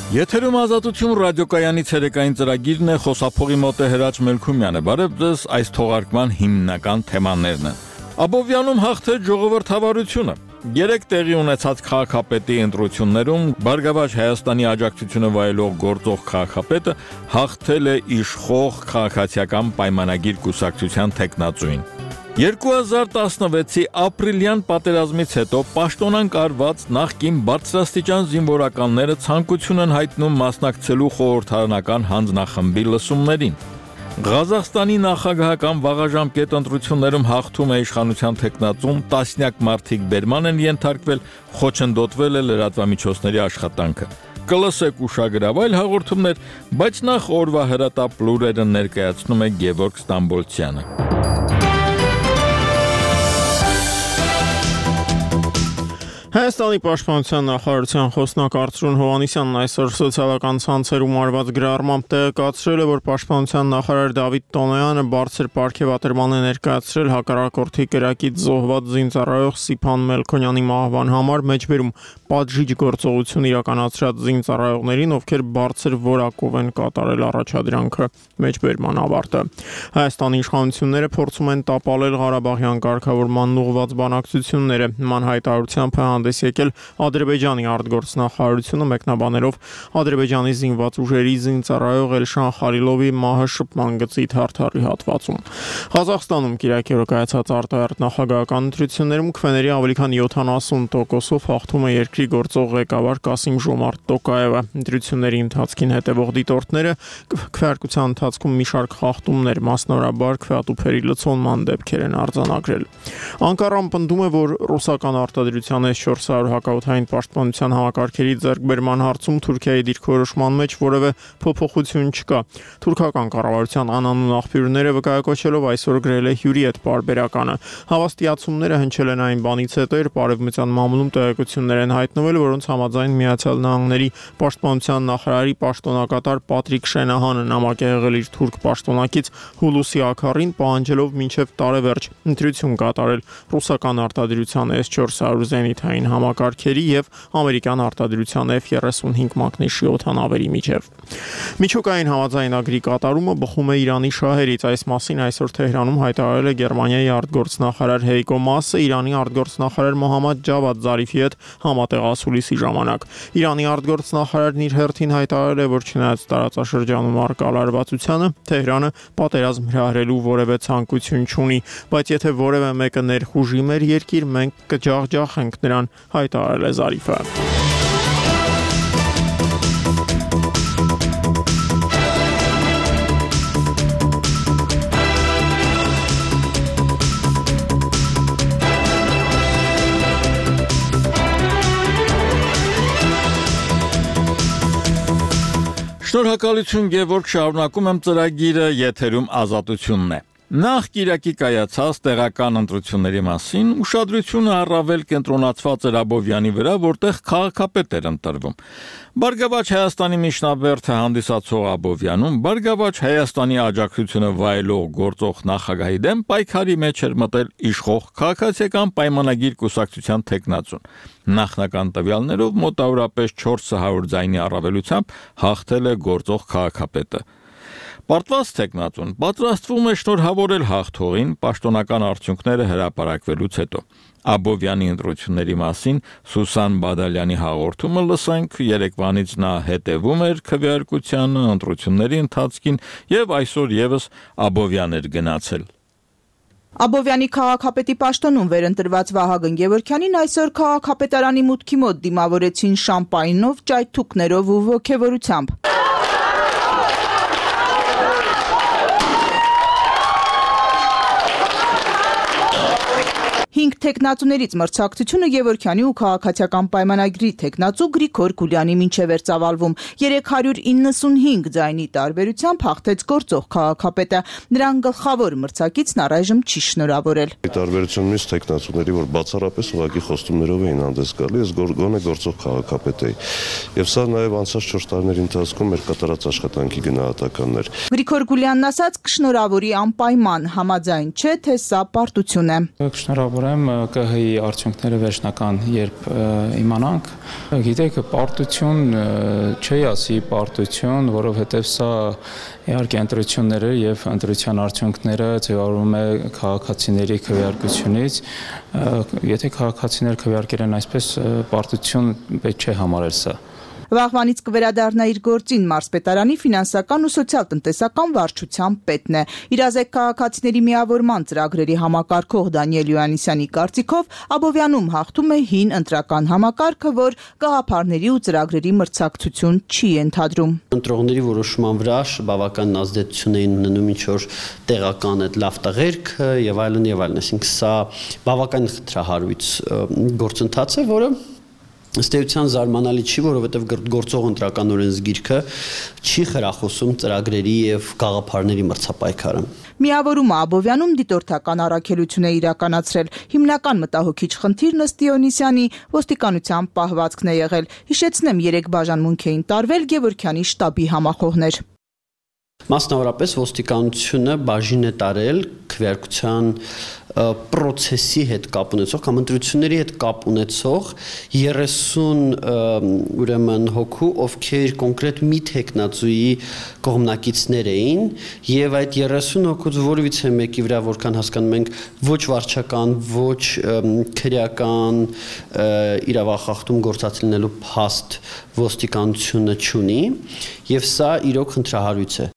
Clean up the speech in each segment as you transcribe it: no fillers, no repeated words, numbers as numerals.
Եթերում ազատություն ռադիոկայանի ցերեկային ծրագիրն է, խոսափողի մոտ է Հրաչ Մելքումյանը։ Բարև ձեզ, այս թողարկման հիմնական թեմաներն են։ Աբովյանում հաղթեց ժողովրդավարությունը։ Երեք տեղի ունեցած քաղաքապետի ընտրություններում Բարգավաճ Հայաստանի աջակցությունը վայելող գործող քաղաքապետը հաղթել է իշխող քաղաքացիական պայմանագիր կուսակցության թեկնածուին։ 2016-ի ապրիլյան պատերազմից հետո պաշտոնանկ արված նախկին բարձրաստիճան զինվորականները ցանկություն են հայտնում մասնակցելու խորհրդարանական հանձնախմբի լսումներին։ Ղազախստանի նախագահական վաղաժամկետ ընտրություններում հաղթում է իշխանության թեկնածուն, տասնյակ մարդիկ բերման են ենթարկվել, խոչընդոտվել է լրատվամիջոցների աշխատանքը։ Կլսեք ուշագրավ այլ հաղորդումներ, բայց նախ օրվա հրատապ լուրերը ներկայացնում է Գևորգ Ստամբոլցյանը։ Հայաստանի պաշտպանության նախարարության խոսնակ Արծրուն Հովհաննիսյանն այսօր սոցիալական ցանցերում արված գրառմամբ տեղեկացրել է, որ պաշտպանության նախարար Դավիթ Տոնոյանը բարձր պարգևատրման է ներկայացրել հակառակորդի կրակից զոհված զինծառայող Սիփան Մելքոնյանի մահվան համար մեջբերում պատժիչ գործողություն իրականացրած զինծառայողներին, ովքեր բարձր որակով են կատարել առաջադրանքը մեջբերման ավարտը։ Հայաստանի իշխանությունները փորձում են տապալել Ղարաբաղյան կարգավորման ուղղված բանակցությունները, նման հայտարարությամբ հանդես եկել Ադրբեջանի արտգործնախարարությունը մեկնաբանելով Ադրբեջանի զինված ուժերի զինծառայող Էլշան Խալիլովի մահը շփման գծի թարթարի հատվածում։ Ղազախստանում կիրակի օրը կայացած արտահերթ նախագահական ընտրություններում քվեների ավելի քան 70%-ով հաղթում է երկրի գործող ղեկավար Կասիմ Ժոմարտ Տոկաևը։ Ընտրությունների ընթացքին հետևող դիտորդները քվեարկության ընթացքում մի շարք խախտումներ, մասնավորաբար քվեատուփերի լցոնման դեպքեր են արձանագրել։ Անկարան պնդում է, որ ռուսական արտադրության S-400 հակաօդային պաշտպանության համակարգերի ձեռքբերման հարցում Թուրքիայի դիրքորոշման մեջ որևէ փոփոխություն չկա։ Թուրքական կառավարության անանուն աղբյուրները վկայակոչելով այսօր գրել է հյուրի հետ պարբերականը։ Հավաստիացումները հնչել են այն բանից հետո, երբ Արևմտյան մամուլում տեղեկություններ են հայտնվել, որոնց համաձայն Միացյալ Նահանգների պաշտպանության նախարարի պաշտոնակատար Պատրիկ Շենահանը նամակ է եղել իր թուրք պաշտոնակից Հուլուսի Աքարին, պահանջելով մինչև տարեվերջ ընտրություն կատարել ռուսական արտադրության S-400 զենիթային համակարգերի եւ ամերիկյան արտադրության F-35 մակնիշի օդանավերի միջև։ Միջուկային համաձայնագրի կատարումը բխում է Իրանի շահերից։ Այս մասին այսօր Թեհրանում հայտարարել է Գերմանիայի արտգործնախարար Հեյկո Մասը Իրանի արտգործնախարար Մոհամմադ Ջավադ Զարիֆի հետ համատեղ ասուլիսի ժամանակ։ Իրանի արտգործնախարարն իր հերթին հայտարարել է, որ չնայած տարածաշրջանում առկա լարվածությանը, Թեհրանը պատերազմ հրահրելու որևէ ցանկություն չունի, բայց եթե որևէ մեկը ներխուժի մեր երկիր, մենք կջախջախենք նրան, հայտարարել է Զարիֆը։ Շնորհակալություն Գևորգ, շարունակում եմ ծրագիրը, եթերում ազատությունն է։ Նախ Կիրակի կայացած տեղական ընտրությունների մասին ուշադրությունը առավել կենտրոնացված էր Աբովյանի վրա, որտեղ քաղաքապետ էր ընտրվում։ Բարգավաճ Հայաստանի միջնաբերդը հանդիսացող Աբովյանում Բարգավաճ Հայաստանի աջակցությունը վայելող գործող նախագահի դեմ պայքարի մեջ էր մտել իշխող քաղաքացիական պայմանագիր կուսակցության թեկնածուն։ Նախնական տվյալներով մոտավորապես 400 ձայնի առավելությամբ հաղթել է գործող քաղաքապետը։ Պարտված թեկնածուն պատրաստվում է շնորհավորել հաղթողին պաշտոնական արդյունքները հրապարակվելուց հետո։ Աբովյանի ընտրությունների մասին Սուսան Բադալյանի հաղորդումը լսենք, երեկվանից նա հետևում էր քվեարկությանը, ընտրությունների ընթացքին եւ այսօր եւս Աբովյան էր գնացել։ Աբովյանի քաղաքապետի պաշտոնում վերընտրված Վահագն Գևորգյանին այսօր քաղաքապետարանի մուտքի մոտ դիմավորեցին շամպայնով, ճայթուկներով ու ոգևորությամբ։ 5 թեկնածուներից մրցակցությունը Գևորգյանի ու քաղաքացիական պայմանագրի թեկնածու Գրիգոր Գուլյանի մինչև էր ծավալվում։ 395 ձայնի տարբերությամբ հաղթեց գործող քաղաքապետը։ Նրան գլխավոր մրցակիցն առայժմ չի շնորհավորել։ Տարբերությունն մյուս թեկնածուների, որ բացառապես ուղղակի խոստումներով էին հանդես գալի, ես գոնե գործող քաղաքապետ էի։ Եվ սա նաև անցած 4 տարիների ընթացքում մեր կատարած աշխատանքի գնահատականն էր։ Գրիգոր Գուլյանն ասաց կշնորհավորի անպայման, համաձայն չէ, թե սա պարտություն է։ Կշնորհավոր ուրեմն ԿՀ-ի արդյունքները վերջնական երբ իմանանք, գիտեք, պարտություն չի ասի պարտություն, որովհետև սա իհարկե ընտրությունները եւ ընտրության արդյունքները ձևավորվում է քաղաքացիների քվեարկությունից, եթե քաղաքացիները քվեարկել են այսպես պարտություն պետք չէ համարել սա։ Վաղվանից կվերադառնա իր գործին մարզպետարանի ֆինանսական ու սոցիալ-տնտեսական վարչության պետն է։ Իրազեկ քաղաքացիների միավորման ծրագրերի համակարգող Դանիել Յոհաննիսյանի կարծիքով Աբովյանում հաղթում է հին ընտրական համակարգը, որ գաղափարների ու ծրագրերի մրցակցություն չի ենթադրում։ Ընտրողների որոշման վրա բավական ազդեցություն էին ունենում ինչ որ տեղական այդ լավ տղերքը եւ այլն, այսինքն սա բավական խտրահարույց գործընթաց է, որը ըստ էության զարմանալի չի, որովհետև գործող ընտրական օրենսգիրքը չի խրախուսում ծրագրերի եւ գաղափարների մրցապայքարը։ Միավորումը Աբովյանում դիտորդական առաքելություն է իրականացրել։ Հիմնական մտահոգիչ խնդիրն ըստ Յոհաննիսյանի ոստիկանության պահվածքն է եղել։ Հիշեցնեմ, 3 բաժանմունք էին տարվել Գևորգյանի շտաբի համախոհներ։ Մասնավորապես ոստիկանությունը բաժին է տարել քվեարկության պրոցեսի հետ կապ ունեցող կամ ընտրությունների հետ կապ ունեցող 30 ուրեմն հոգու, ովքեր կոնկրետ մի տեխնացուի կողմնակիցներ էին, եւ այդ 30 հոգուց որևիցե մեկի վրա, որքան հասկանում ենք, ոչ վարչական, ոչ քրեական իրավախախտում գործած լինելու փաստ ոստիկանությունը չունի, եւ սա իրոք խնդրահարույց է։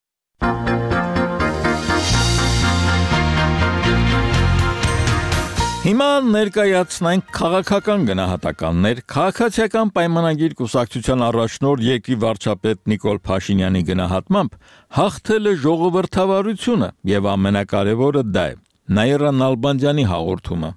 Հիմա ներկայացնենք քաղաքական գնահատականներ քաղաքացիական պայմանագիր կուսակցության առաջնորդ երկրի վարչապետ Նիկոլ Փաշինյանի գնահատմամբ հաղթել է ժողովրդավարությունը եւ ամենակարևորը դա է Նաիրա Նալբանդյանի հաղորդումը։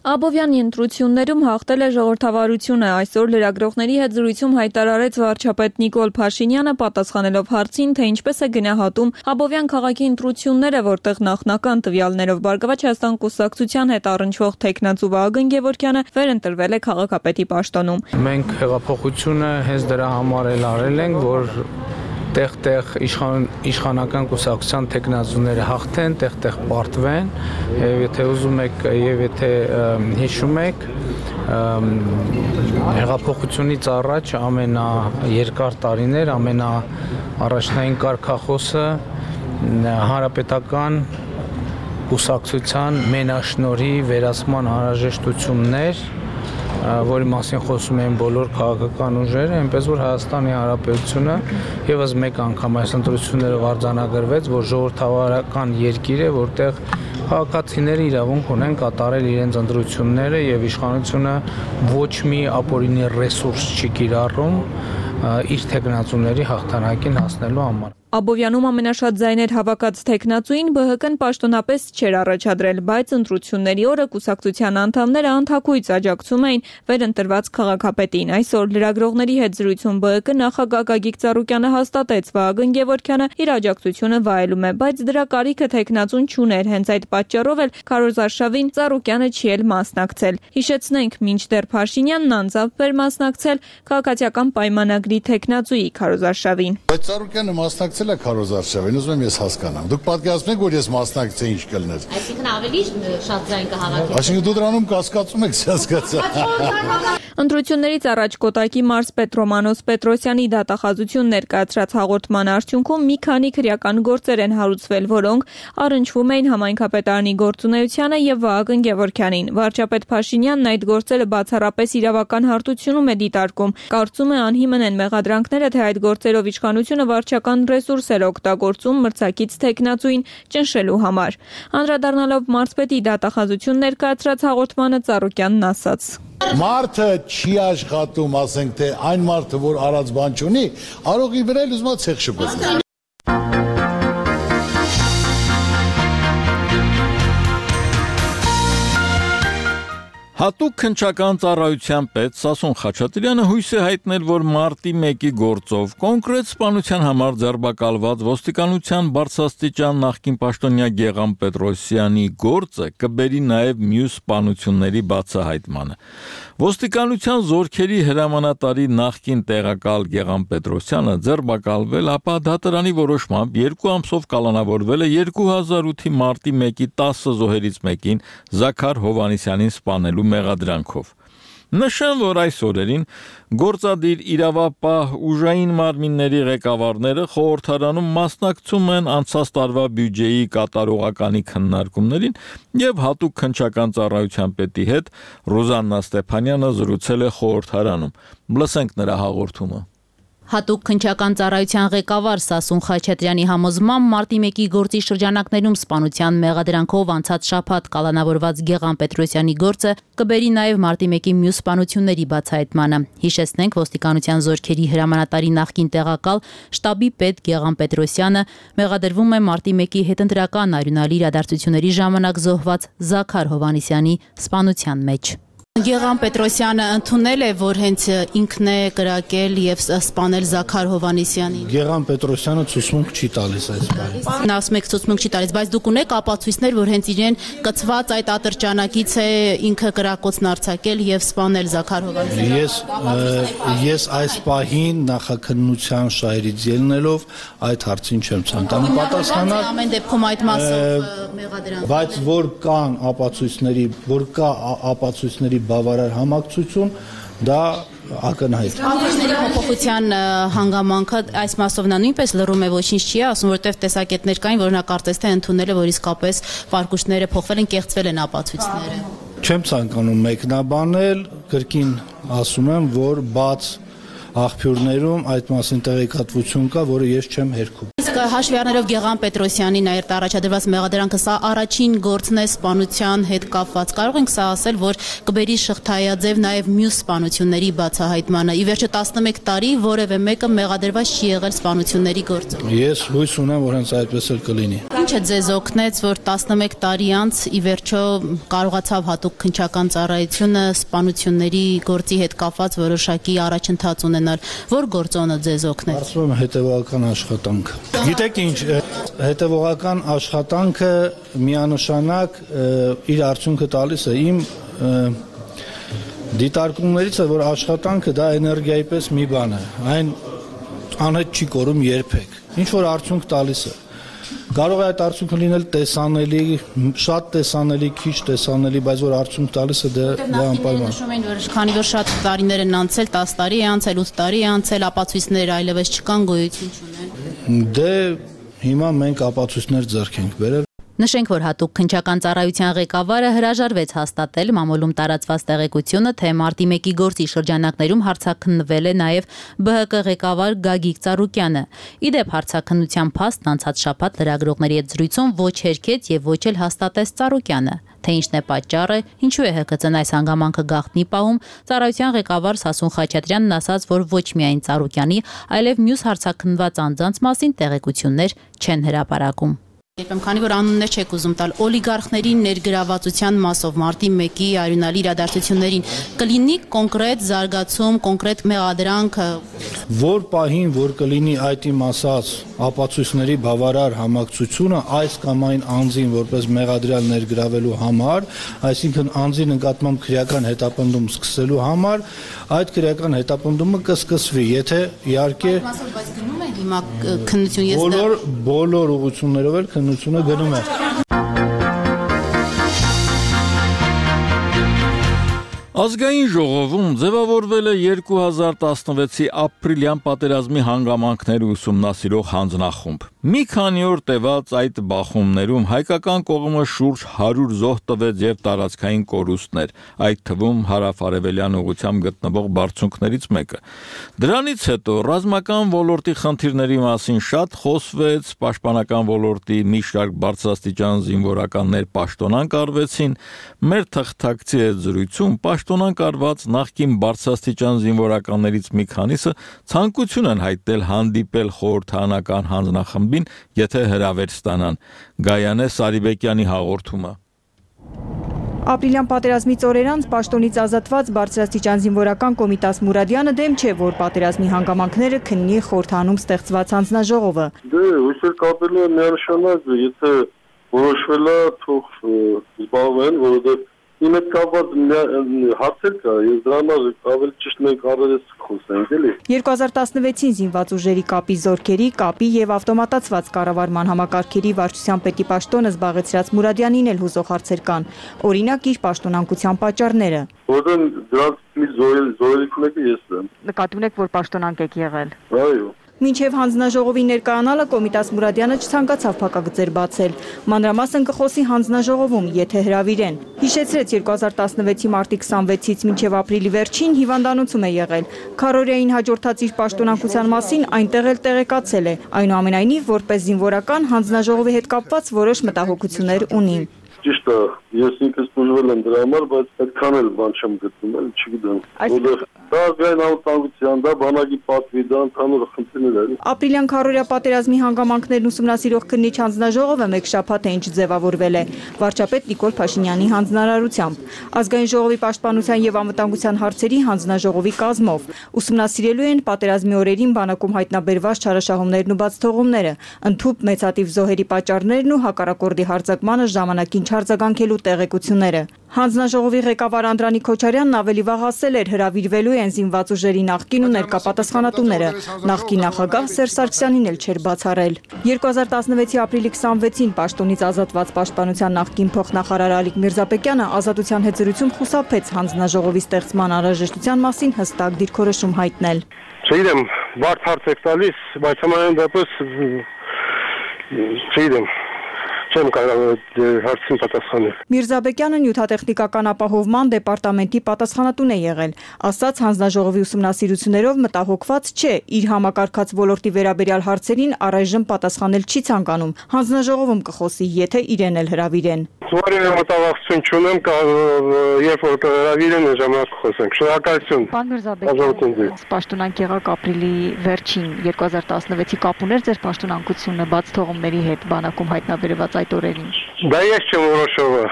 Աբովյանի ընտրություններում հաղթել է ժողովրդավարությունը, այսօր լրագրողների հետ զրույցում հայտարարեց վարչապետ Նիկոլ Փաշինյանը պատասխանելով հարցին, թե ինչպես է գնահատում Աբովյան քաղաքի ընտրությունները, որտեղ նախնական տվյալներով Բարգավաճ Հայաստան կուսակցության հետ առնչվող տեխնացու Վահագն Գևորգյանը վերընտրվել է քաղաքապետի պաշտոնում։ Մենք հեղափոխությունը հենց դրա համար էլ արել ենք, որ տեղ-տեղ իշխանական կուսակցության տեխնացուները հաղթեն, տեղ-տեղ պարտվեն, եւ եթե ուզում եք եւ եթե հիշում եք, հեղափոխությունից առաջ ամենաերկար տարիներ, ամենաառաջնային կարգախոսը հանրապետական կուսակցության մենաշնորհի վերացման անհրաժեշտություններ, որի մասին խոսում են բոլոր քաղաքական ուժերը, այնպես որ Հայաստանի Հանրապետությունը եւս մեկ անգամ այս ընտրություններով արձանագրվեց, որ ժողովրդավարական երկիր է, որտեղ քաղաքացիները իրավունք ունեն կատարել իրենց ընտրությունները եւ իշխանությունը ոչ մի ապօրինի ռեսուրս չի կիրառում իր տեխնացուների հաղթանակին հասնելու համար։ Աբովյանում ամենաշատ ձայներ հավաքած տեխնացուին ԲՀԿ-ն պաշտոնապես չէր առաջադրել, բայց ընտրությունների օրը կուսակցության անդամները անթաքույց աջակցում էին վերընտրված քաղաքապետին։ Այսօր լրագրողների հետ զրույցում ԲՀԿ նախագահ Գագիկ Ծառուկյանը հաստատեց, Վահագն Գևորգյանը իր աջակցությունը վայելում է, բայց դրա կարիքը տեխնացուն չուներ, հենց այդ պատճառով էլ քարոզարշավին Ծառուկյանը չի էլ մասնակցել։ Հիշեցնենք, մինչդեռ Փաշինյանն անձամբ էր մասնակցել քաղաքացիական պայմանագրի տեխնացուի քարոզարշավին։ Բայց Ծառուկյանը մասնակցել է քարոզարշավին, ուզում եմ ես հասկանամ։ Դուք պատկերացնում եք, որ ես մասնակցեի ինչ կլներ։ Այսինքն ավելի շատ ձայն կհավաքեք։ Այսինքն դու դրանում կասկածում եք, հասկացա։ Ընտրություններից առաջ Կոտայքի մարզպետ Ռոմանոս Պետրոսյանի դատախազություն ներկայացրած հաղորդման արդյունքում մի քանի քրեական գործեր են հարուցվել, որոնք առնչվում էին համայնքապետարանի գործունեությանը եւ Վահագն Գևորգյանին։ Վարչապետ Փաշինյանն այդ գործերը բացառապես իրավական հարթությունում է դիտարկում։ Կարծում է անհիմն են մեղադրանքները, թե այդ գործերով իշխանությունը վարչական ռեսուրսեր օգտագործում մրցակից տեխնացուին ճնշելու համար։ Անդրադառնալով մարզպետի դատախազություն ներկայացրած հաղորդմանը Ծառուկյանն ասաց. Մարդը չի աշխատում, ասենք թե այն մարդը, որ արած բան չունի, արողի վրա էլ ուզում է ցեխ շփոթել։ Հատուկ քննչական ծառայության պետ Սասուն Խաչատրյանը հույս է հայտնել, որ մարտի 1-ի գործով կոնկրետ սպանության համար ձերբակալված ոստիկանության բարձրաստիճան նախկին պաշտոնյա Գեղամ Պետրոսյանի գործը կբերի նաև մյուս սպանությունների բացահայտմանը։ Ոստիկանության զորքերի հրամանատարի նախկին տեղակալ Գեղամ Պետրոսյանը ձերբակալվել, ապա դատարանի որոշմամբ 2 ամսով կալանավորվել է 2008-ի մարտի 1-ի 10 զոհերից մեկին Զաքար Հովհաննիսյանին սպանելու մեղադրանքով։ Նշեմ, որ այս օրերին գործադիր իրավապահ ուժային մարմինների ղեկավարները խորհրդարանում մասնակցում են անցած տարվա բյուջեի կատարողականի քննարկումներին եւ հատուկ քննչական ծառայության պետի հետ Ռոզաննա Ստեփանյանը զրուցել է խորհրդարանում։ Լսենք նրա հաղորդումը։ Հատուկ քննչական ծառայության ղեկավար Սասուն Խաչատրյանի համոզմամբ մարտի 1-ի գործի շրջանակներում սպանության մեղադրանքով անցած շաբաթ կալանավորված Գեղամ Պետրոսյանի գործը կբերի նաև մարտի 1-ի մյուս սպանությունների բացահայտմանը։ Հիշեցնենք, ոստիկանության զորքերի հրամանատարի նախկին տեղակալ շտաբի պետ Գեղամ Պետրոսյանը մեղադրվում է մարտի 1-ի հետընտրական արյունալի իրադարձությունների ժամանակ զոհված Զաքար Հովհաննիսյանի սպանության մեջ։ Գեղամ Պետրոսյանը ընդունել է, որ հենց ինքն է կրակել եւ սպանել Զաքար Հովհաննիսյանին։ Գեղամ Պետրոսյանը ցուցմունք չի տալիս այս բանը։ Նա ասում է ցուցմունք չի տալիս, բայց դուք ունեք ապացույցներ, որ հենց իրեն կծված այդ ատրճանակից է ինքը կրակոցն արձակել եւ սպանել Զաքար Հովհաննիսյանին։ Ես այս պահին նախաքննության շահերից ելնելով այդ հարցին չեմ ցանկանում պատասխանալ։ Ամեն դեպքում այդ մասով մեղադրանք։ Բայց որ կան ապացույցների բավարար համակցություն, դա ակնհայտ։ Ապացույցների փոփոխության հանգամանքը այս մասով նա նույնպես լռում է, ոչինչ չի ասում, որտեղ տեսակետներ կային, որ նա կարծես թե ընդունել է, որ իսկապես վարկուշները փոխվել են, կեղծվել են ապացույցները։ Չեմ ցանկանում մեկնաբանել, կրկին ասում եմ, որ բաց աղբյուրներում այդ մասին տեղեկատվություն կա, որը ես չեմ հերքում։ Իսկ հաշվի առնելով Գեղամ Պետրոսյանի նայերտ առաջադրված մեղադրանքը, սա առաջին գործն է սպանության հետ կապված։ Կարող ենք սա ասել, որ կբերի շղթայաձև նաև մյուս սպանությունների բացահայտմանը։ Ի վերջո 11 տարի որևէ մեկը մեղադրված չի եղել սպանությունների գործով։ Ես հույս ունեմ, որ հենց այդպես էլ կլինի։ Ինչը ձեզ օգնեց, որ 11 տարի անց ի վերջո կարողացավ հատուկ քննչական ծառայությունը սպանությունների գործի հետ կապված որոշակի առաջընթաց ունենալ, որ գործոնը ձեզ օգնեց։ Կարծում եմ հետևողական աշխատանք։ Գիտեք ինչ, հետևողական աշխատանքը միանշանակ իր արդյունքը տալիս է։ Իմ դիտարկումներից է, որ աշխատանքը դա էներգիայի պես մի բան է։ Այն անհետ չի կորում երբեք։ Ինչ որ արդյունք տալիս է։ Կարող է այդ արդյունքը լինել տեսանելի, շատ տեսանելի, քիչ տեսանելի, բայց որ արդյունք տալիս է դա անպայման։ Նշում են, որ քանի որ շատ տարիներ են անցել, 10 տարի է անցել, 8 տարի է անցել, ապացույցներ այլևս չկան, գոյություն չունեն։ Դե հիմա մենք ապացույցներ ձեռք ենք բերել։ Նշենք, որ հատուկ քննչական ծառայության ղեկավարը հրաժարվեց հաստատել մամուլում տարածված տեղեկությունը, թե մարտի 1-ի գործի շրջանակներում հարցաքննվել է նաև ԲՀԿ ղեկավար Գագիկ Ծառուկյանը։ Իդեպ հարցաքննության փաստն անցած շաբաթ լրագրողների հետ զրույցում ոչ հերքեց եւ ոչ էլ հաստատեց Ծառուկյանը։ Թե ինչն է պատճառը, ինչու է ՀԿՑ-ն այս հանգամանքը գաղտնի պահում, ծառայության ղեկավար Սասուն Խաչատրյանն ասաց, որ ոչ միայն Ծառուկյանի, այլև մյուս հարցաքննված անձանց մասին տեղեկություններ չեն հրապարակում։ Քանի որ անուններ չեք ուզում տալ, օլիգարխների ներգրավվածության մասով մարտի 1-ի արյունալի իրադարձություններին կլինի կոնկրետ զարգացում, կոնկրետ մեղադրանք, որ պահին, որ կլինի այդ իմ ասած ապացույցների բավարար համակցությունը այս կամ այն անձին որպես մեղադրյալ ներգրավելու համար, այսինքն անձի նկատմամբ քրեական հետապնդում սկսելու համար, այդ քրեական հետապնդումը կսկսվի, եթե իհարկե բայց գնում է հիմա քննություն, բոլոր ուղղություններով էլ քննությունը գնում է։ Ազգային ժողովում ձևավորվել է 2016-ի ապրիլյան պատերազմի հանգամանքները ուսումնասիրող հանձնախումբ։ Մի քանի օր տևած այդ բախումներում հայկական կողմը շուրջ 100 զոհ տվեց եւ տարածքային կորուստներ, այդ թվում հարավ-արևելյան ուղղությամբ գտնվող բարձունքներից մեկը։ Դրանից հետո ռազմական ոլորտի խնդիրների մասին շատ խոսվեց, պաշտպանական ոլորտի մի շարք բարձրաստիճան զինվորականներ պաշտոնանկ արվեցին, մեր թղթակցի հետ զրույցում պաշտոնանկ արված նախկին բարձրաստիճան զինվորականներից մի քանիսը ցանկություն են հայտնել հանդիպել խորհրդարանական հանձնախմբին, եթե հրավեր ստանան։ Գայանե Սարիբեկյանի հաղորդումը։ Ապրիլյան պատերազմից օրեր անց պաշտոնից ազատված բարձրաստիճան զինվորական Կոմիտաս Մուրադյանը դեմ չէ, որ պատերազմի հանգամանքները քննի խորհրդանում ստեղծված հանձնաժողովը։ Հույսեր կապելու է միանշանակ, եթե որոշվել է թող զբաղվեն, որովհետև իմ հետ կապված հարցեր կա, ես դրա համար ավելի ճիշտ մենք առերես խոսենք, էլի։ 2016-ին զինված ուժերի կապի զորքերի, կապի եւ ավտոմատացված կառավարման համակարգերի վարչության պետի պաշտոնը զբաղեցրած Մուրադյանին էլ հուզող հարցեր կան։ Օրինակ իր պաշտոնանկության պատճառները։ Որտեղ դրանց զորելիք ունեք ես եմ։ Նկատի ունեք, որ պաշտոնանկ եք եղել։ Այո։ Մինչև հանձնաժողովի ներկայանալը Կոմիտաս Մուրադյանը չցանկացավ փակագծեր բացել։ Մանրամասն կխոսի հանձնաժողովում, եթե հրավիրեն։ Հիշեցրեց 2016-ի մարտի 26-ից մինչև ապրիլի վերջին հիվանդանոցում է եղել։ Քարորիային հաջորդած իր պաշտոնանկության մասին այնտեղ էլ տեղեկացել է։ Այնուամենայնիվ, որպես զինվորական հանձնաժողովի հետ կապված որոշ մտահոգություններ ունի։ Ճիշտ է, ես ինքս բուժվել եմ դրա համար, բայց այդքան էլ բան չեմ գտնում, չգիտեմ։ Որտեղ դա գային անվտանգության, դա բանակի պատվի, դա ընդհանուր խնդիրներ են։ Ապրիլյան քարորիա պատերազմի հանգամանքներն ուսումնասիրող քննիչ հանձնաժողովը մեկ շաբաթ է ինչ ձևավորվել է վարչապետ Նիկոլ Փաշինյանի հանձնարարությամբ։ Ազգային ժողովի պաշտպանության եւ անվտանգության հարցերի հանձնաժողովի կազմով ուսումնասիրելու են պատերազմի օրերին բանակում հայտնաբերված չարաշահումներն ու բացթողումները, ընդհուպ մեծատիվ զոհերի պատճառներն ու հակառակորդի հարձակմանը ժամանակին չարձագանքելու տեղեկությունները։ Հանձնաժողովի ղեկավար Անդրանիկ Քոչարյանն ավելի վաղ ասել էր, հրավիրվելու են զինված ուժերի նախկին ու ներկա պատասխանատուները։ Նախկին նախագահ Սերժ Սարգսյանին էլ չէր բացառել։ 2016-ի ապրիլի 26-ին պաշտոնից ազատված պաշտպանության նախկին փոխնախարար Ալիկ Միրզապետյանը ազատության հետ զրույցում խուսափեց հանձնաժողովի ստեղծման անհրաժեշտության մասին հստակ դիրքորոշում հայտնել։ Չգիտեմ, բարդ հարց եք տալիս, բայց համենայն դեպս չգիտեմ։ Չեմ կարող հարցին պատասխանել։ Միրզաբեկյանը նյութատեխնիկական ապահովման դեպարտամենտի պատասխանատուն է եղել։ Ասաց հանձնաժողովի ուսումնասիրություններով մտահոգված չէ, իր համակարգած ոլորտի վերաբերյալ հարցերին առայժմ պատասխանել չի ցանկանում։ Հանձնաժողովում կխոսի, եթե իրեն էլ հրավիրեն։ Որևէ մտավախություն չունեմ, երբ որ հրավիրեն ժամանակ խոսենք։ Շնորհակալություն։ Պարոն Միրզաբեկյան, պաշտոնանկ եղաք ապրիլի վերջին 2016-ի կապ ուներ ձեր պաշտոնանկությունը բաց թողումների հետ բանակում հայտնաբերված այդ օրերին։ Դա ես չեմ որոշողը։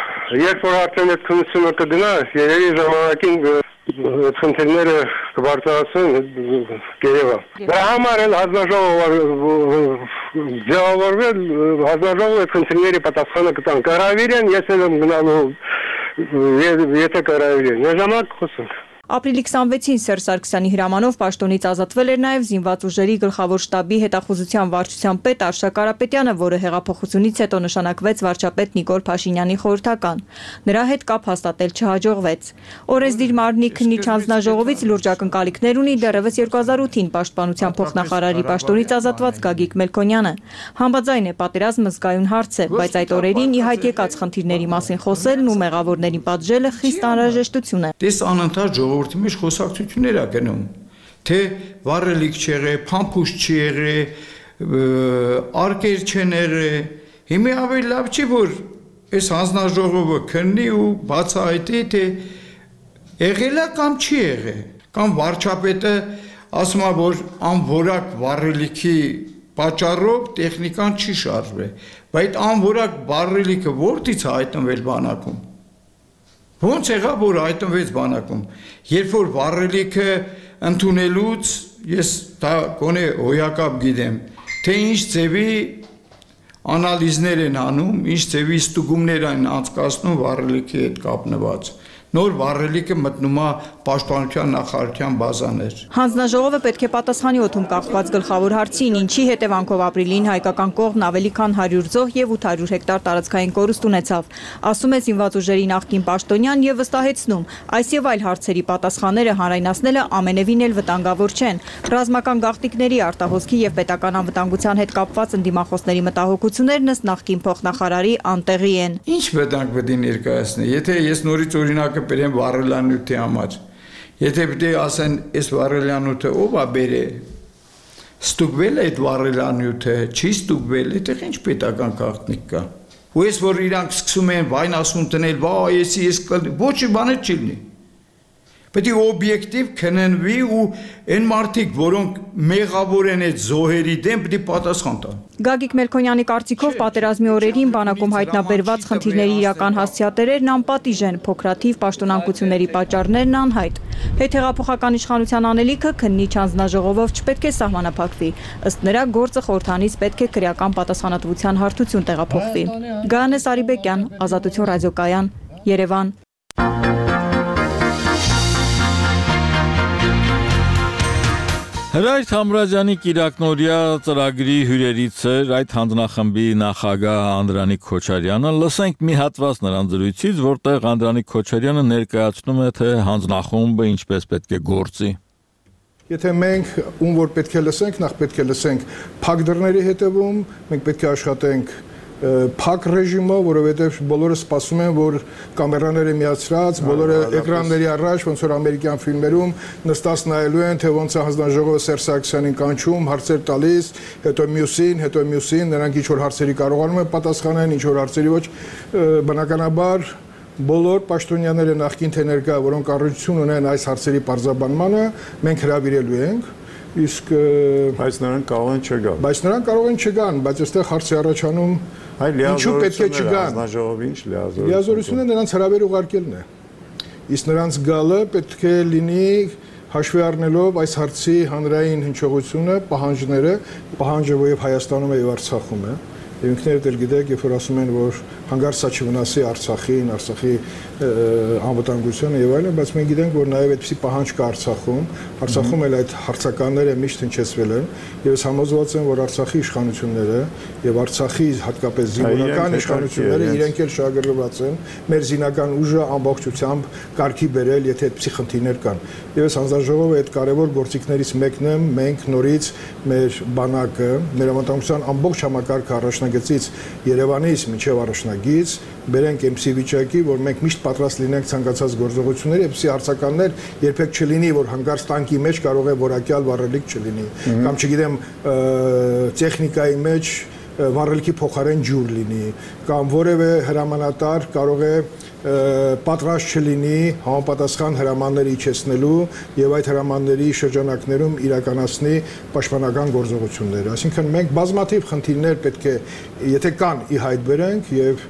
Երբ որ արդեն այդ քննությունը կգնա, երևի ժամանակին խնդիրները կբարձրացնեն գերեվա։ Դրա համար էլ հանձնաժողովը ձևավորվել, հանձնաժողովը խնդիրների պատասխանը կտան։ Կհրավիրեն, ես էլ եմ գնալու, եթե կհրավիրեն։ Ժամանակ խոսենք։ Ապրիլի 26-ին Սերժ Սարգսյանի հրամանով պաշտոնից ազատվել էր նաև զինված ուժերի գլխավոր շտաբի հետախուզության վարչության պետ Արշակ Կարապետյանը, որը հեղափոխությունից հետո նշանակվեց վարչապետ Նիկոլ Փաշինյանի խորհրդական։ Նրա հետ կապ հաստատել չհաջողվեց։ Օրենսդիր մարմնի քննիչ հանձնաժողովից լուրջ ակնկալիքներ ունի դեռևս 2008-ին պաշտպանության փոխնախարարի պաշտոնից ազատված Գագիկ Մելքոնյանը։ Համաձայն է, պատերազմը զգայուն հարց է, բայց այդ օրերին ի հայտ եկած խնդիրների մասին խոսելն ու մեղավորներին պատժելը խիստ անհրաժեշտություն է։ Դες անընդհատ ժողովրդի մեջ խոսակցություններ ա գնում, թե վառելիք չեղե, փամփուշտ չի եղե, արկեր չեն եղե։ Հիմա ավելի լավ չի, որ այս հանձնաժողովը քննի ու բացահայտի, թե եղել է կամ չի եղել, կամ վարչապետը ասում է, որ անորակ վառելիքի պատճառով տեխնիկան չի շարժվել, բայց անորակ վառելիքը որտից է հայտնվել բանակում։ Ոնց եղավ, որ հայտնվեց բանակում, երբ որ վառելիքը ընդունելուց ես դա գոնե հոյակապ գիտեմ, թե ինչ ձևի անալիզներ են անում, ինչ ձևի ստուգումներ են անցկացնում վառելիքի հետ կապնված։ Նոր վառելիքը մտնում է պաշտպանության նախարարության բազաներ։ Հանձնաժողովը պետք է պատասխանի օդում կախված գլխավոր հարցին, ինչի հետևանքով ապրիլին հայկական կողմն ավելի քան 100 զոհ եւ 800 հեկտար տարածքային կորուստ ունեցավ։ Ասում է զինված ուժերի նախկին պաշտոնյան եւ վստահեցնում, այս եւ այլ հարցերի պատասխանները հանրայնացնելը ամենևին էլ վտանգավոր չեն։ Ռազմական գաղտնիքների, արտահոսքի եւ պետական անվտանգության հետ կապված ընդդիմախոսների մտահոգություններն ըստ նախկին փոխնախարարի անտեղի են։ Ինչ վտանգ պետք է ներկայացնի, եթե ես նորից օրինակը բերեմ վառելանյութի համար։ Եթե պետք է ասեն, այս վառելանյութը ով է բերել, ստուգվել է այդ վառելանյութը, չի ստուգվել, այդտեղ ինչ պետական գաղտնիք կա։ Ու ես որ իրանք սկսում են վայնասուն տնել, վայ, ես ոչ մի բան չի լինի։ Պետք է օբյեկտիվ քննվի ու այն մարդիկ, որոնք մեղավոր են այդ զոհերի դեմ, պետք է պատասխան տան։ Գագիկ Մելքոնյանի կարծիքով պատերազմի օրերին բանակում հայտնաբերված խնդիրների իրական հասցեատերերն անպատիժ են, փոքրաթիվ պաշտոնանկությունների պատճառներն անհայտ։ Հետհեղափոխական իշխանության անելիքը քննիչ հանձնաժողովով չպետք է սահմանափակվի։ Ըստ նրա գործը խորհրդանից պետք է քրեական պատասխանատվության հարթություն տեղափոխվի։ Գայանե Սարիբեկյան, Ազատություն ռադիոկայան, Երևան։ Հրայր Թամրազյանի Կիրակնորյա ծրագրի հյուրերից էր այդ հանձնախմբի նախագահ Անդրանիկ Քոչարյանը։ Լսենք մի հատված նրան զրույցից, որտեղ Անդրանիկ Քոչարյանը ներկայացնում է, թե հանձնախումբը ինչպես պետք է գործի։ Եթե մենք ում որ պետք է լսենք, նախ պետք է լսենք փակ դռների հետևում, մենք պետք է աշխատենք փակ ռեժիմով, որովհետև բոլորը սպասում են, որ կամերաները միացրած, բոլորը էկրանների առաջ, ոնց որ ամերիկյան ֆիլմերում նստած նայելու են, թե ոնց է հանձնաժողովը Սերժ Սարգսյանին կանչում, հարցեր տալիս, հետո մյուսին, նրանք ինչ որ հարցերի կարողանում են պատասխանել, ինչ որ հարցերի ոչ, բնականաբար բոլոր պաշտոնյաները նախկին թե ներկա, որոնք առնչություն ունեն այս հարցերի պարզաբանմանը, մենք հրավիրելու ենք, իսկ բայց նրանք կարող են չգան։ Բայց նրանք կարող են չգան, բայց այստեղ հարցի առաջանում ինչու պետք է չգան։ Լիազորությունը նրանց հրավեր ուղարկելն է։ Իսկ նրանց գալը պետք է լինի հաշվի առնելով այս հարցի հանրային հնչողությունը, պահանջը, որ եւ Հայաստանում է եւ Արցախում է։ Եվ ինքներդ էլ գիտեք, երբ որ ասում են, որ հանգարցա չվնասի Արցախին, Արցախի անվտանգությունը եւ այլն, բայց մենք գիտենք, որ նաեւ այդպիսի պահանջ կա Արցախում էլ այդ հարցականները միշտ հնչեցվել են, եւ ես համոզված եմ, որ Արցախի իշխանությունները եւ Արցախի հատկապես զինվորական իշխանությունները իրենք էլ շահագրգռված են մեր զինական ուժը ամբողջությամբ կարգի բերել, եթե այդպիսի խնդիրներ կան։ Եվ ես հանձնաժողովը այդ կարևոր գործիքներից մեկն եմ, մենք նորից մեր բանակը, մեր անվտանգության ամբողջ համակարգը առաջնագծից Երևանից մինչև առաջնագիծ բերենք այնպիսի վիճակի, որ մենք միշտ պատրաստ լինենք ցանկացած գործողությունների, այնպիսի հարցականներ երբեք չլինի, որ հանգարց տանկի մեջ կարող է որակյալ վառելիք չլինի, կամ չգիտեմ, տեխնիկայի մեջ վառելիքի փոխարեն ջուր լինի, կամ որևէ հրամանատար կարող է պատրաստ չլինի համապատասխան հրամաններ իջեցնելու եւ այդ հրամանների շրջանակներում իրականացնի պաշտպանական գործողություններ։ Այսինքն մենք բազմաթիվ խնդիրներ պետք է, եթե կան, ի հայտ բերենք եւ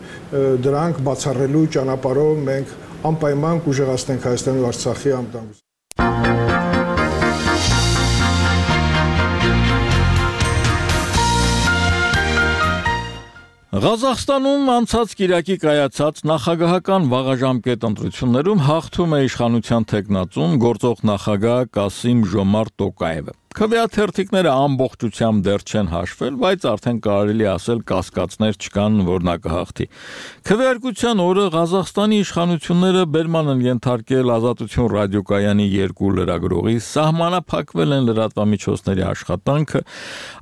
դրանք բացառելու ճանապարհով մենք անպայման կուժեղացնենք Հայաստանի ու Արցախի անվտանգությունը։ Ղազախստանում անցած կիրակի կայացած նախագահական վաղաժամկետ ընտրություններում հաղթում է իշխանության թեկնածուն գործող նախագահ Կասիմ-Ժոմարտ Տոկաևը։ Քվեաթերթիկները ամբողջությամբ դեռ չեն հաշվել, բայց արդեն կարելի ասել կասկածներ չկան, որ նա կհաղթի։ Քվեարկության օրը Ղազախստանի իշխանությունները բերման են ենթարկել Ազատություն ռադիոկայանի 2 լրագրողի, սահմանափակվել են լրատվամիջոցների աշխատանքը,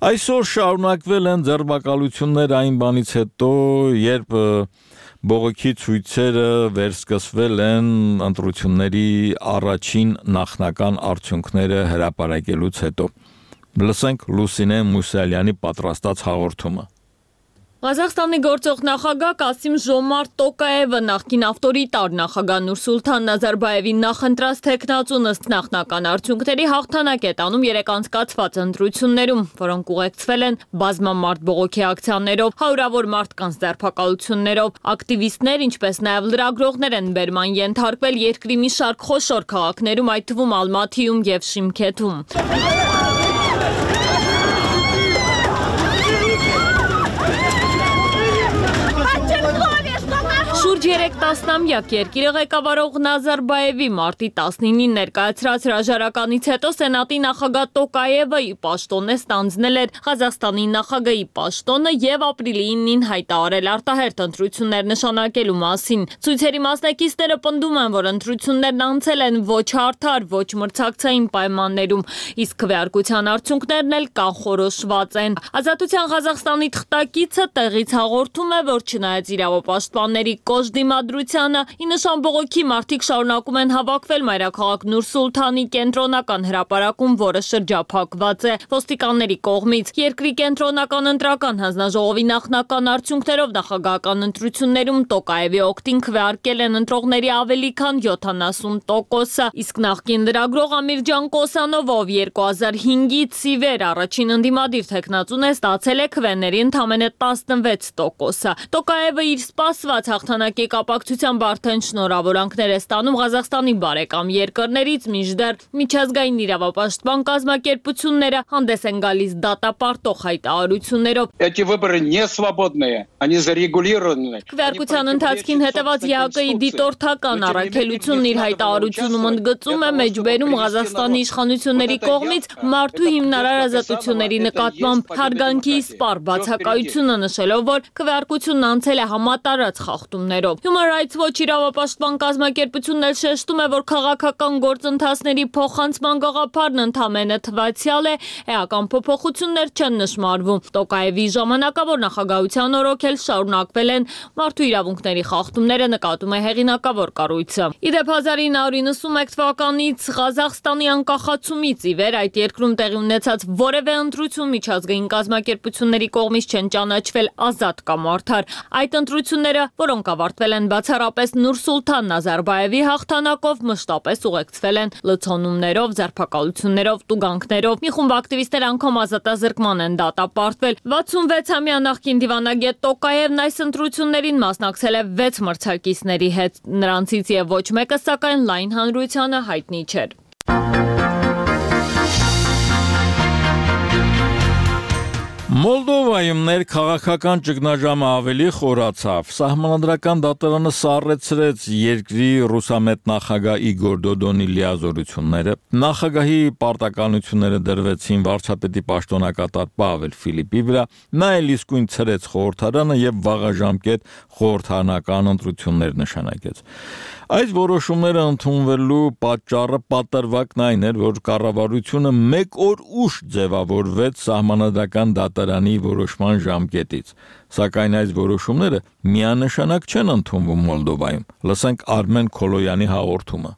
այսօր շարունակվել են ձերբակալություններ այն բանից հետո, երբ բողոքի ցույցերը վերսկսվել են ընտրությունների առաջին նախնական արդյունքները հրապարակելուց հետո։ Լսենք Լուսինե Մուսալյանի պատրաստած հաղորդումը։ Ղազախստանի գործող նախագահ Կասիմ-Ժոմարտ Տոկաևը նախկին ավտորիտար նախագահ Նուրսուլթան Նազարբաևի նախընտրած թեկնածուն ըստ նախնական արդյունքների հաղթանակ է տանում երեք անցկացված ընտրություններում, որոնք ուղեկցվել են բազմամարդ բողոքի ակցիաներով, հարյուրավոր մարդկանց ձերբակալություններով, ակտիվիստներ, ինչպես նաև լրագրողներ են բերման ենթարկվել երկրի մի շարք խոշոր քաղաքներում, այդ թվում Ալմաթիում եւ Շիմքեթում։ Շուրջ 3 տասնամյակ երկիրը ղեկավարող Նազարբաևի մարտի 19-ին ներկայացրած հրաժարականից հետո Սենատի նախագահ Տոկաևը ի պաշտոն է ստանձնել էր Ղազախստանի նախագահի պաշտոնը եւ ապրիլի 9-ին հայտարարել արտահերթ ընտրություններ նշանակելու մասին։ Ցույցերի մասնակիցները պնդում են, որ ընտրություններն անցել են ոչ արդար, ոչ մրցակցային պայմաններում, իսկ քվեարկության արդյունքներն էլ կանխորոշված են։ Ազատության Ղազախստանի թղթակիցը տեղից հաղորդում է, որ չնայած իրավապաշտպանների կոժդի դիմադրությանը։ Ի նշան բողոքի մարդիկ շարունակում են հավաքվել մայրաքաղաք Նուր Սուլթանի կենտրոնական հրապարակում, որը շրջափակված է ոստիկանների կողմից։ Երկրի կենտրոնական ընտրական հանձնաժողովի նախնական արդյունքներով նախագահական ընտրություններում Տոկաևի օգտին քվեարկել են ընտրողների ավելի քան 70%-ը, իսկ նախկին լրագրող Ամիրջան Կոսանովը, ով 2005-ից ի վեր առաջին ընդդիմադիր թեկնածուն է, ստացել է քվեների ընդամենը 16%-ը։ Տոկաևը իր սպասված հաղթանակի կապակցությամբ արդեն շնորհավորանքներ է ստանում Ղազախստանի բարեկամ երկրներից, մինչդեռ միջազգային իրավապաշտպան կազմակերպությունները հանդես են գալիս դատապարտող հայտարարություններով։ Эти выборы не свободные, они зарегулированы. Քվեարկության ընթացքին հետևած ՀԱԿ-ի դիտորդական առաքելությունն իր հայտարարությունում ընդգծում է մեջբերում Ղազախստանի իշխանությունների կողմից մարդու հիմնարար ազատությունների նկատմամբ հարգանքի սպառ բացակայությունը, նշելով, որ քվեարկությունն անցել է համատարած խախտումներով։ Human Rights Watch իրավապաշտպան կազմակերպությունն էլ շեշտում է, որ քաղաքական գործընթացների փոխանցման գաղափարն ընդամենը թվացial է, էական փոփոխություններ չեն նշмарվում։ Տոկաևի ժամանակավոր նախագահության օրոք էլ շարունակվել են մարդու իրավունքների խախտումները, նկատում է հեղինակավոր կառույցը։ Իդեպ 1991 թվականից Ղազախստանի անկախացումից ի վեր այդ երկրում տեղի ունեցած որևէ ընտրություն միջազգային կազմակերպությունների կողմից չեն ճանաչվել ազատ կամ արդար։ Այդ ընտրությունները, որոնք ավարտվել են բացառապես Նուր Սուլթան Նազարբաևի հաղթանակով, մշտապես ուղեկցվել են լցոնումներով, ձերբակալություններով, տուգանքներով։ Մի խումբ ակտիվիստներ անգամ ազատազրկման են դատապարտվել։ 66-ամյա նախկին դիվանագետ Տոկաևն այս ընտրություններին մասնակցել է 6 մրցակիցների հետ, նրանցից եւ ոչ մեկը սակայն լայն հանրությանը հայտնի չէր։ Մոլդովայում ներքաղաքական ճգնաժամը ավելի խորացավ։ Սահմանադրական դատարանը սառեցրեց երկրի ռուսամետ նախագահ Իգոր Դոդոնի լիազորությունները։ Նախագահի պարտականությունները դրվեցին վարչապետի պաշտոնակատար Պավել Ֆիլիպի վրա, նա էլ իսկույն ցրեց խորհրդարանը եւ վաղաժամկետ խորհրդարանական ընտրություններ նշանակեց։ Այս որոշումները ընդունվելու պատճառը պատրվակն այն էր, որ կառավարությունը 1 օր ուշ ձևավորվեց սահմանադրական դատարանի որոշման ժամկետից, սակայն այս որոշումները միանշանակ չեն ընդունվում Մոլդովայում։ Լսենք Արմեն Քոլոյանի հաղորդումը։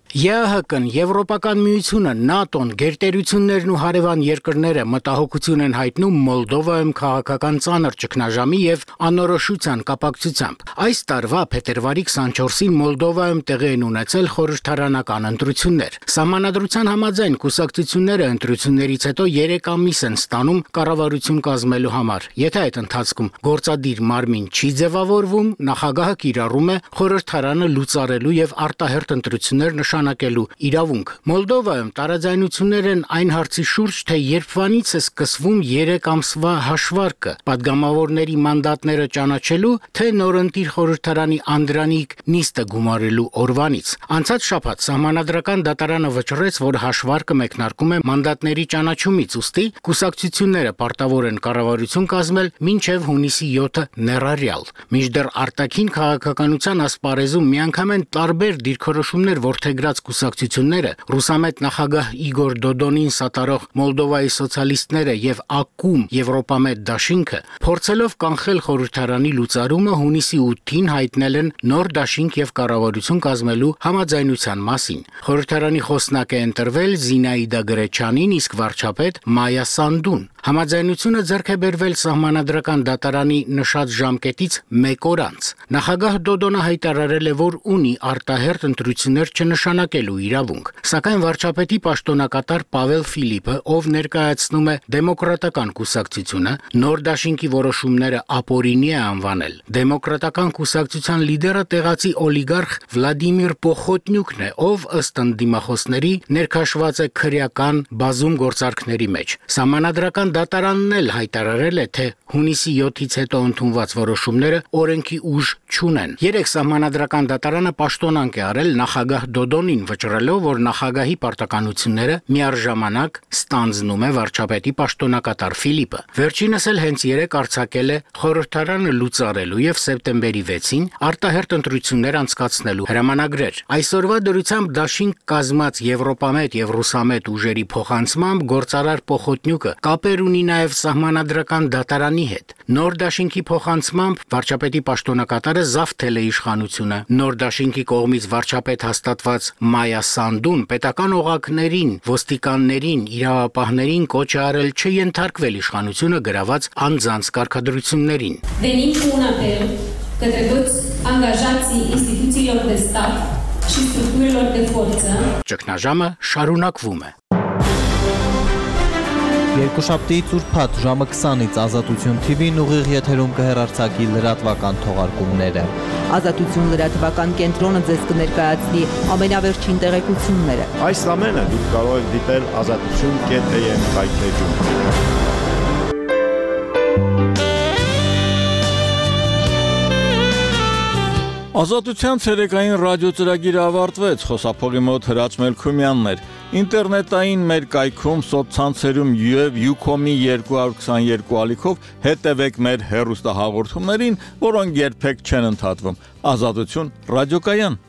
ԵԱՀԿ-ն, Եվրոպական միությունը, ՆԱՏՕ-ն, գերտերություններն ու հարևան երկրները մտահոգություն են հայտնում Մոլդովայում քաղաքական ծանր ճգնաժամի եւ անորոշության կապակցությամբ։ Այս տարվա փետրվարի 24-ին Մոլդովայում տեղի են ունեցել խորհրդարանական ընտրություններ։ Սահմանադրության համաձայն կուսակցությունները ընտրություններից հետո 3 ամիս են ստանում կառավարություն կազմելու համար։ Եթե այդ ընթացքում գործադիր մարմին չի ձևավորվում, նախագահը կիրառում է խորհրդարանը լուծարելու եւ արտահերթ ընտրություններ նշանակելու իրավունք։ Մոլդովայում տարաձայնություններ են այն հարցի շուրջ, թե երբվանից է սկսվում 3 ամսվա հաշվարկը, падգամավորների մանդատները ճանաչելու, թե նորընտիր խորհրդարանի անդրանիկ նիստը գումարելու օրվանից։ Անցած շաբաթ սահմանադրական դատարանը վճռեց, որ հաշվարկը մեկնարկում է մանդատների ճանաչումից, ուստի կուսակցությունները պարտավոր են կառավարություն կազմել մինչև հունիսի 7-ը ներառյալ։ Մինչդեռ արտաքին քաղաքականության ասպարեզում միանգամայն տարբեր դիրքորոշումներ որդեգրած կուսակցությունները, ռուսամետ նախագահ Իգոր Դոդոնին սատարող Մոլդովայի սոցիալիստները եւ ԱԿՈՒՄ Եվրոպամետ դաշինքը, փորձելով կանխել խորհրդարանի լուծարումը, հունիսի 8-ին հայտնել են նոր դաշինք եւ կառավարություն կազմելու համաձայնության մասին։ Խորհրդարանի խոսնակ է ընտրվել Զինաիդա Գրեչյանին, իսկ վարչապետ Մայա Սանդուն։ Համաձայնությունը ձեռք է բերվել սահմանադրական դատարանի նշած ժամկետից 1 օր անց։ Նախագահ Դոդոնը հայտարարել է, որ ունի արտահերթ ընտրություններ չնշանակելու իրավունք, սակայն վարչապետի պաշտոնակատար Պավել Ֆիլիպը, ով ներկայացնում է դեմոկրատական կուսակցությունը, նոր դաշինքի որոշումները ապօրինի է անվանել։ Դեմոկրատական կուսակցության լիդերը տեղացի օլիգարխ Վլադիմիր Պոխոտնյուկն է, ով ըստ ընդդիմախոսների ներքաշված է քրեական բազում գործարքների մեջ։ Սահմանադրական դատարանն էլ հայտարարել է, թե հունիսի 7-ից հետո ընդունված որոշումները օրենքի ուժ չունեն։ Երեք սահմանադրական դատարանը պաշտոնանկ է արել նախագահ Դոդոնին, վճռելով, որ նախագահի պարտականությունները միառժամանակ ստանձնում է վարչապետի պաշտոնակատար Ֆիլիպը։ Վերջինս էլ հենց երեք արձակել է խորհրդարանը լուծարելու եւ սեպտեմբերի 6-ին արտահերթ ընտրություններ անցկացնելու հրամանագրեր։ Այսօրվա դրությամբ դաշինք կազմած Եվրոպամետ եւ ռուսամետ ուժերի փոխանցմամբ գործարար Պոխոտնյուկը կապեր կապեր ունի նաև սահմանադրական դատարանի հետ։ Նոր դաշինքի փոխանցմամբ վարչապետի պաշտոնակատարը զավթել է իշխանությունը։ Նոր դաշինքի կողմից վարչապետ հաստատված Մայա Սանդուն պետական օղակներին, ոստիկաններին, իրավապահներին կոչ է արել չենթարկվել իշխանությունը գրաված անձանց կարգադրություններին։ Venim cu un apel către toți angajații instituțiilor de stat și structurilor de forță. Ճգնաժամը շարունակվում է։ Երկուշաբթիից ուրբաթ ժամը 20-ից Ազատություն TV-ն ուղիղ եթերում կհեռարձակի լրատվական թողարկումները։ Ազատություն լրատվական կենտրոնը ձեզ կներկայացնի ամենավերջին տեղեկությունները։ Այս ամենը դուք կարող եք դիտել azatutun.am հայտարարում։ Ազատության ցերեկային ռադիոծրագիրը ավարտվեց, խոսափողի մոտ Հրաչ Մելքումյանն էր։ Ինտերնետային մեր կայքում, սոցցանցերում եւ Ucom-ի 222 ալիքով հետևեք մեր հեռուստահաղորդումներին, որոնք երբեք չեն ընդհատվում։ Ազատություն ռադիոկայան։